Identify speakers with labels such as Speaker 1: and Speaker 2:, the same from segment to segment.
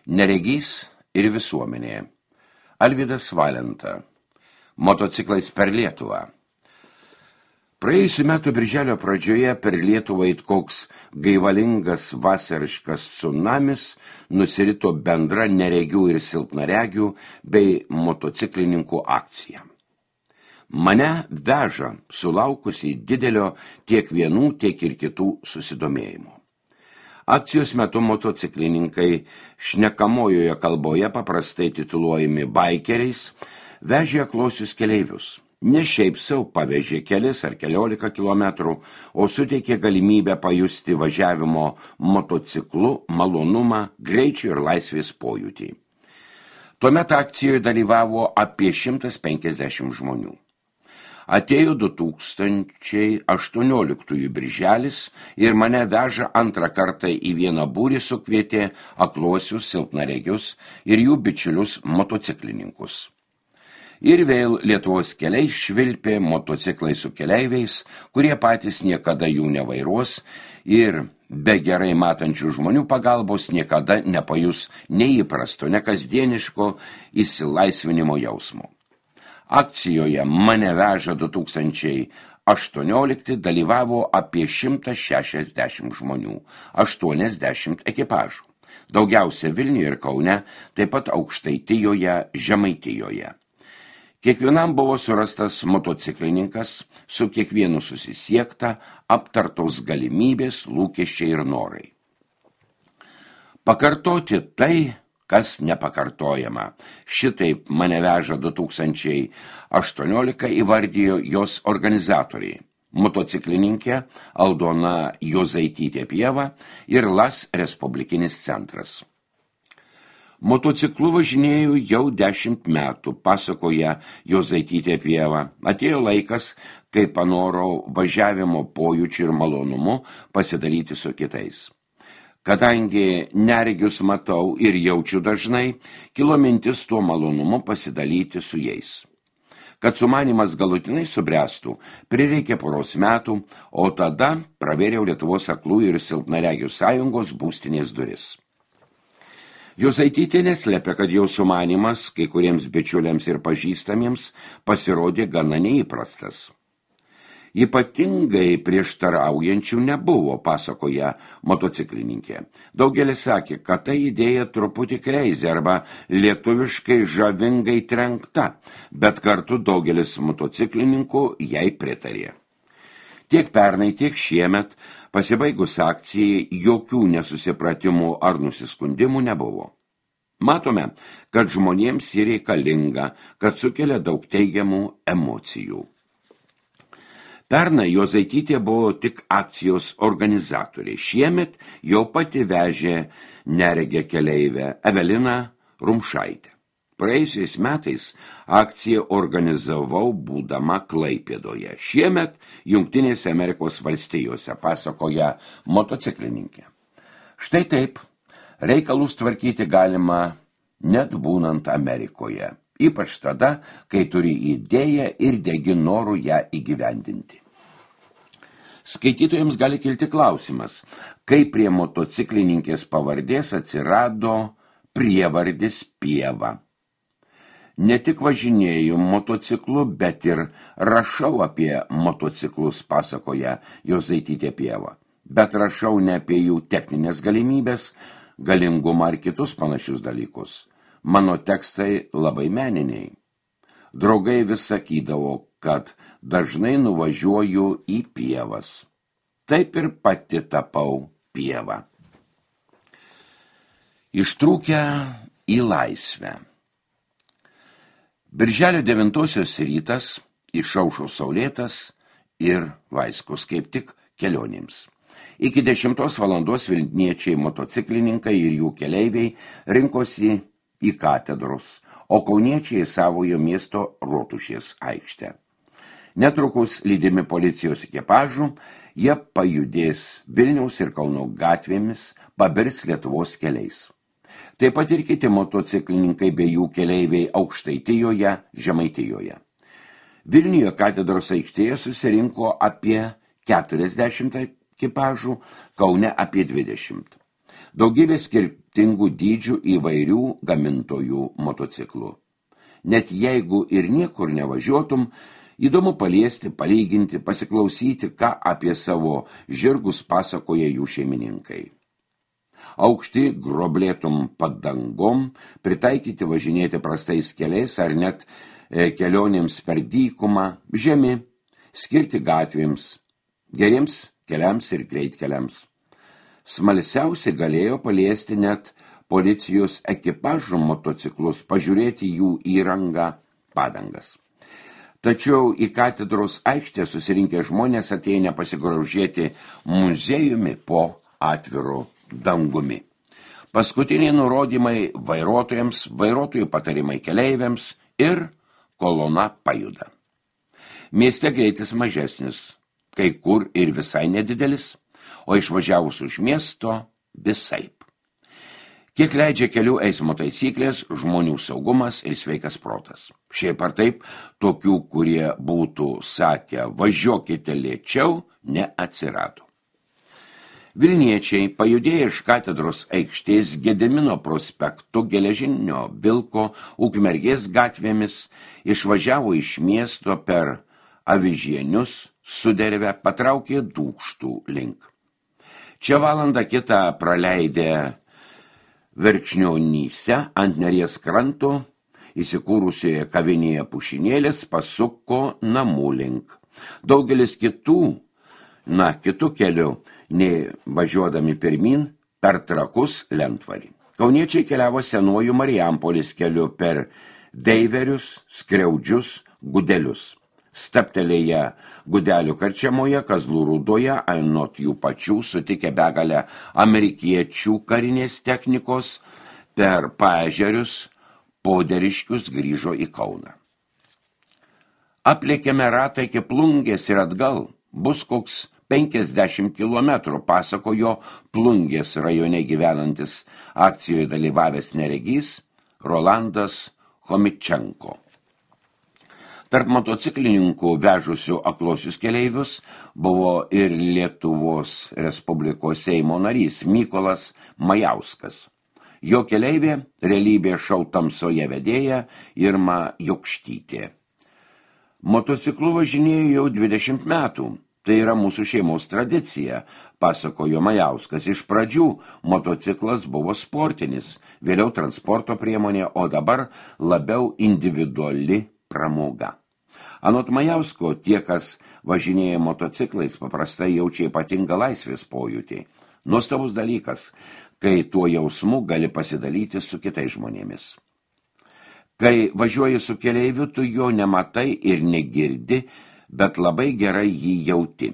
Speaker 1: Neregys ir visuomenė. Alvydas Valenta. Motociklais per Lietuvą. Praėjusių metų birželio pradžioje per Lietuvą it koks gaivalingas vasariškas tsunamis nusirito bendra neregių ir silpnaregių bei motociklininkų akcija. Mane veža sulaukusi didelio tiek vienų, tiek ir kitų susidomėjimo. Akcijos metu motociklininkai šnekamojoje kalboje paprastai tituluojami baikeriais vežė aklosius keleivius. Ne šiaip sau pavežė kelis ar 11 kilometrų, o suteikė galimybę pajusti važiavimo motociklu malonumą, greičio ir laisvės pojūtį. Tuomet akcijoje dalyvavo apie 150 žmonių. Atėjo 2018 birželis ir mane veža antrą kartą į vieną būrį sukvietė akluosius, silpnaregius ir jų bičiulius motociklininkus. Ir vėl Lietuvos keliais švilpė motociklai su keleiviais, kurie patys niekada jų nevairuos ir be gerai matančių žmonių pagalbos niekada nepajus neįprasto, nekasdieniško išsilaisvinimo jausmo. Akcijoje mane veža 2018 dalyvavo apie 160 žmonių, 80 ekipažų. Daugiausia Vilniuje ir Kaune, taip pat Aukštaitijoje, Žemaitijoje. Kiekvienam buvo surastas motociklininkas, su kiekvienu susisiekta, aptartos galimybės, lūkesčiai ir norai. Pakartoti tai, kas nepakartojama. Šitaip mane veža 2018 įvardijo jos organizatoriai. Motociklininkė Aldona Jozaitytė Pieva ir LAS Respublikinis centras. Motociklu važinėjau jau 10 metų, pasakoja Jozaitytė Pieva. Atėjo laikas, kai panorau važiavimo pojūčių ir malonumu pasidalyti su kitais. Kadangi neregius matau ir jaučiu dažnai, kilo mintis tuo malonumu pasidalyti su jais. Kad sumanymas galutinai subręstų, prireikė poros metų, o tada pravėriau Lietuvos aklųjų ir silpnaregių sąjungos būstinės duris. Jozaitytė neslėpė, kad jau sumanymas kai kuriems bičiuliams ir pažįstamiems pasirodė gana neįprastas. Ypatingai prieštaraujančių nebuvo, pasakoja motociklininkė. Daugelis sakė, kad ta idėja truputį kreizė arba lietuviškai žavingai trenkta, bet kartu daugelis motociklininkų jai pritarė. Tiek pernai, tiek šiemet, pasibaigus akcijai, jokių nesusipratimų ar nusiskundimų nebuvo. Matome, kad žmonėms ji reikalinga, kad sukelia daug teigiamų emocijų. Pernai Jozaitytė buvo tik akcijos organizatoriai. Šiemet jau pati vežė neregę keleivę Eveliną Rumšaitę. Praėjusiais metais akciją organizavau būdama Klaipėdoje. Šiemet Jungtinėse Amerikos valstijose, pasakoja motociklininkė. Štai taip, reikalus tvarkyti galima net būnant Amerikoje. Ypač tada, kai turi idėją ir degi norų ją įgyvendinti. Skaitytojams gali kilti klausimas, kaip prie motociklininkės pavardės atsirado prievardis Pieva. Ne tik važinėju motociklu, bet ir rašau apie motociklus, pasakoja Jozaitytė Pieva. Bet rašau ne apie jų techninės galimybės, galingumą ar kitus panašius dalykus. Mano tekstai labai meniniai. Draugai vis sakydavo, kad dažnai nuvažiuoju į pievas. Taip ir pati tapau pievą. Ištrūkę į laisvę. Birželio 9 rytas, išaušo saulėtas ir vaiskus kaip tik kelionėms. Iki 10 valandos vilniečiai motociklininkai ir jų keleiviai rinkosi į katedros, o kauniečiai savojo miesto Rotušės aikštę. Netrukus lydimi policijos ekipažų, jie pajudės Vilniaus ir Kauno gatvėmis, pabirs Lietuvos keliais. Taip pat ir kiti motociklininkai bei jų keleiviai Aukštaitijoje, Žemaitijoje. Vilniuje katedros aikštėje susirinko apie 40 ekipažų, Kaune apie 20. Daugybė skirtingų dydžių įvairių gamintojų motociklų. Net jeigu ir niekur nevažiuotum, įdomu paliesti, palyginti, pasiklausyti, ką apie savo žirgus pasakoja jų šeimininkai. Aukšti groblėtum padangom, pritaikyti važinėti prastais keliais ar net kelionėms per dykumą, žemi, skirti gatvėms, geriems keliams ir greitkeliams. Smalsiausiai galėjo paliesti net policijos ekipažų motociklus, pažiūrėti jų įrangą, padangas. Tačiau į katedros aikštę susirinkę žmonės atėjo nepasigrožėti muziejumi po atviru dangumi. Paskutiniai nurodymai vairuotojams, vairuotojų patarimai keleiviams ir kolona pajuda. Mieste greitis mažesnis, kai kur ir visai nedidelis, o išvažiavus už miesto visaip. Kiek leidžia kelių eismo taisyklės, žmonių saugumas ir sveikas protas. Šiaip ar taip, tokių, kurie būtų sakę važiuokite lėčiau, neatsirado. Vilniečiai pajudėję iš katedros aikštės Gedimino prospektu Geležinio Vilko Ukmergės gatvėmis išvažiavo iš miesto per Avižienius, Sudervę, patraukė Dūkštų link. Čia valandą kitą praleidę Verkšnionyse ant Neries kranto įsikūrusioje kavinėje Pušinėlis pasuko namų link. Daugelis kitų keliu, nei važiuodami pirmin per Trakus Lentvarį. Kauniečiai keliavo senuoju Marijampolės keliu per Deiverius, Skriaudžius, Gudelius. Staptelėję Gudelių karčiamoje, Kazlų Rūdoje, anot jų pačių sutikę begalę amerikiečių karinės technikos, per Paežerius, Poderiškius grįžo į Kauną. Aplėkėme ratą iki Plungės ir atgal, bus koks 50 kilometrų, pasakojo Plungės rajone gyvenantis akcijoje dalyvavęs neregys Rolandas Chomičenko. Tarp motociklininkų vežusių aklosius keleivius buvo ir Lietuvos Respublikos Seimo narys Mykolas Majauskas. Jo keleivė realybė šou tamsoje vedėja Irma Jokštytė. Motociklu važinėjo jau 20 metų. Tai yra mūsų šeimos tradicija, pasakojo Majauskas. Iš pradžių motociklas buvo sportinis, vėliau transporto priemonė, o dabar labiau individuali pramoga. Anot Majausko, tie, kas važinėja motociklais, paprastai jaučia ypatingą laisvės pojūtį. Nuostabus dalykas, kai tuo jausmu gali pasidalyti su kitais žmonėmis. Kai važiuoji su keleiviu, tu jo nematai ir negirdi, bet labai gerai jį jauti.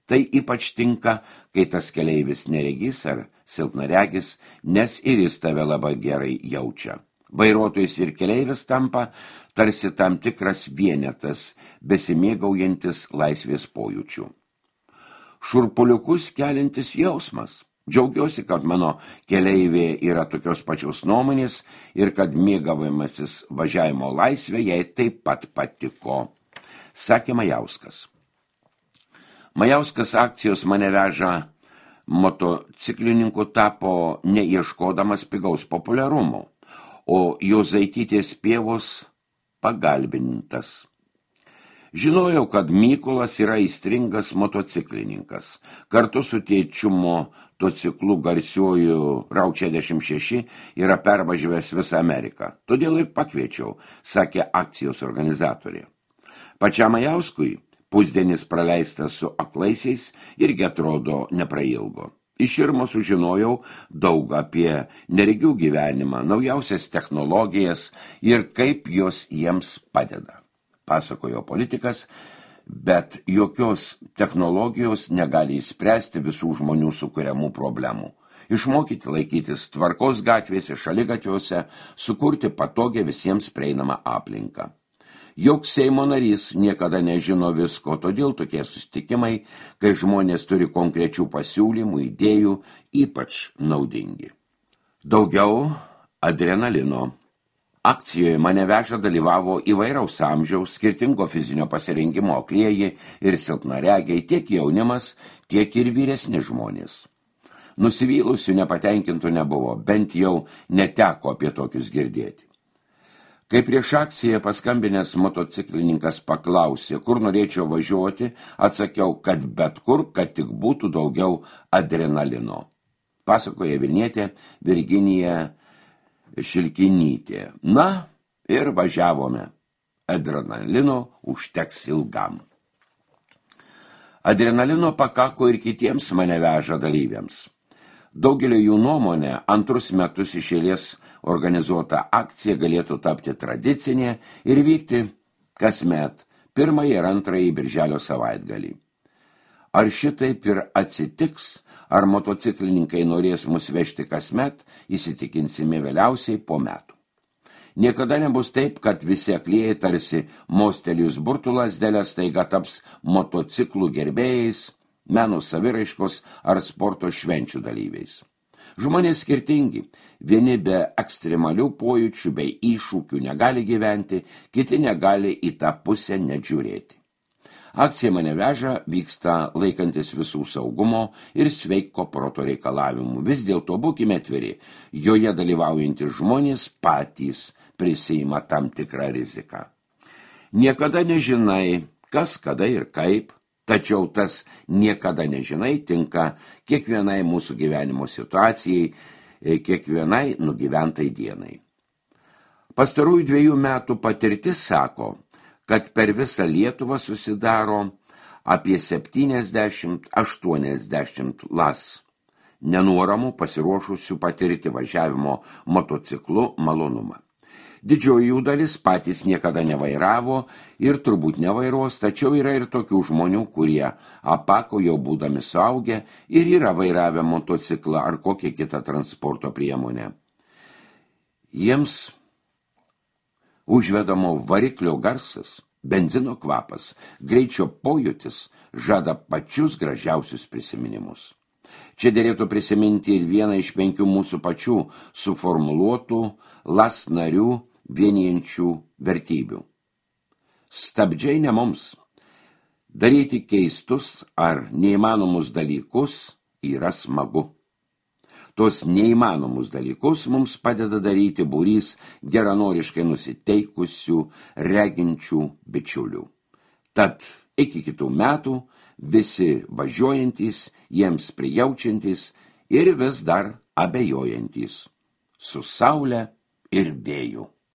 Speaker 1: Tai ypač tinka, kai tas keleivis neregys ar silpnaregis, nes ir jis tave labai gerai jaučia. Vairuotojas ir keleivis tampa tarsi tam tikras vienetas, besimėgaujantis laisvės pojūčių. Šurpuliukus keliantis jausmas. Džiaugiuosi, kad mano keleivė yra tokios pačios nuomonės ir kad mėgavimasis važiavimo laisvė jai taip pat patiko, sakė Majauskas. Majauskas akcijos mane veža motociklininku tapo neieškodamas pigaus populiarumo, o Jozaitytės pievos pagalbininkas. Žinojau, kad Mykolas yra aistringas motociklininkas. Kartu su tėčiu motociklu garsiuoju Rau 66 yra pervažiavęs visą Ameriką. Todėl ir pakviečiau, sakė akcijos organizatorė. Pačiam Majauskui pusdienis praleistas su aklaisiais irgi atrodo neprailgo. Iš Irmo sužinojau daug apie neregių gyvenimą, naujausias technologijas ir kaip jos jiems padeda, pasakojo politikas, bet jokios technologijos negali įspręsti visų žmonių sukuriamų problemų. Išmokyti laikytis tvarkos gatvėse, šaligatviuose, sukurti patogią visiems prieinamą aplinką. Joks Seimo narys niekada nežino visko, todėl tokie susitikimai, kai žmonės turi konkrečių pasiūlymų, idėjų, ypač naudingi. Daugiau adrenalino. Akcijoje mane veža dalyvavo įvairaus amžiaus, skirtingo fizinio pasirengimo aklieji ir silpnaregiai, tiek jaunimas, tiek ir vyresni žmonės. Nusivylusių nepatenkintų nebuvo, bent jau neteko apie tokius girdėti. Kai prieš akciją paskambinęs motociklininkas paklausė, kur norėčiau važiuoti, atsakiau, kad bet kur, kad tik būtų daugiau adrenalino. Pasakoja Vilnietė Virginija Šilkinytė. Na, ir važiavome. Adrenalino užteks ilgam. Adrenalino pakako ir kitiems mane veža dalyviams. Daugelio jų nuomonė, antrus metus iš eilės organizuota akcija galėtų tapti tradicinė ir vykti kasmet 1 ir 2 birželio savaitgalį. Ar šitaip ir atsitiks, ar motociklininkai norės mus vežti kasmet, įsitikinsime vėliausiai po metų. Niekada nebus taip, kad visi aklieji tarsi mostelijus burtų lazdelės staiga taps motociklų gerbėjais, meno saviraiškos ar sporto švenčių dalyviais. Žmonės skirtingi, vieni be ekstremalių pojūčių bei iššūkių negali gyventi, kiti negali į tą pusę net žiūrėti. Akcija Mane veža vyksta laikantis visų saugumo ir sveiko proto reikalavimų. Vis dėlto būkime atviri, joje dalyvaujantys žmonės patys prisiima tam tikrą riziką. Niekada nežinai, kas, kada ir kaip, tačiau tas niekada nežinai tinka kiekvienai mūsų gyvenimo situacijai, kiekvienai nugyventai dienai. Pastarųjų 2 metų patirtis sako, kad per visą Lietuvą susidaro apie 70-80 las nenuoramų pasiruošusių patirti važiavimo motociklu malonumą. Didžioji jų dalis patys niekada nevairavo ir turbūt nevairuos, tačiau yra ir tokių žmonių, kurie apako jau būdami suaugę ir yra vairavę motociklą ar kokią kitą transporto priemonę. Jiems užvedamo variklio garsas, benzino kvapas, greičio pojūtis žada pačius gražiausius prisiminimus. Čia derėtų prisiminti ir vieną iš 5 mūsų pačių suformuluotų LAS narių vienijančių vertybių. Stabdžiai ne mums. Daryti keistus ar neįmanomus dalykus yra smagu. Tos neįmanomus dalykus mums padeda daryti būrys geranoriškai nusiteikusių, reginčių bičiulių. Tad iki kitų metų visi važiuojantys, jiems prijaučiantys ir vis dar abejojantys. Su saule ir vėju.